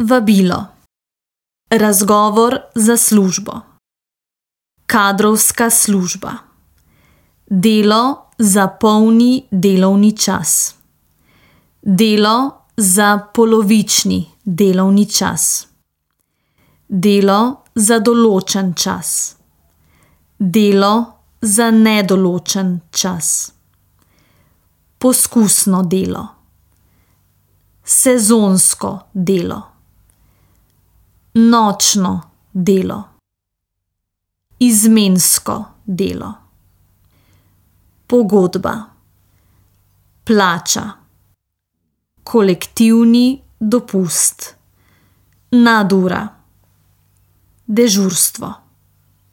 Vabilo. Razgovor za službo. Kadrovska služba. Delo za polni delovni čas. Delo za polovični delovni čas. Delo za določen čas. Delo za nedoločen čas. Poskusno delo. Sezonsko delo. Nočno delo. Izmensko delo. Pogodba. Plača. Kolektivni dopust. Nadura. Dežurstvo.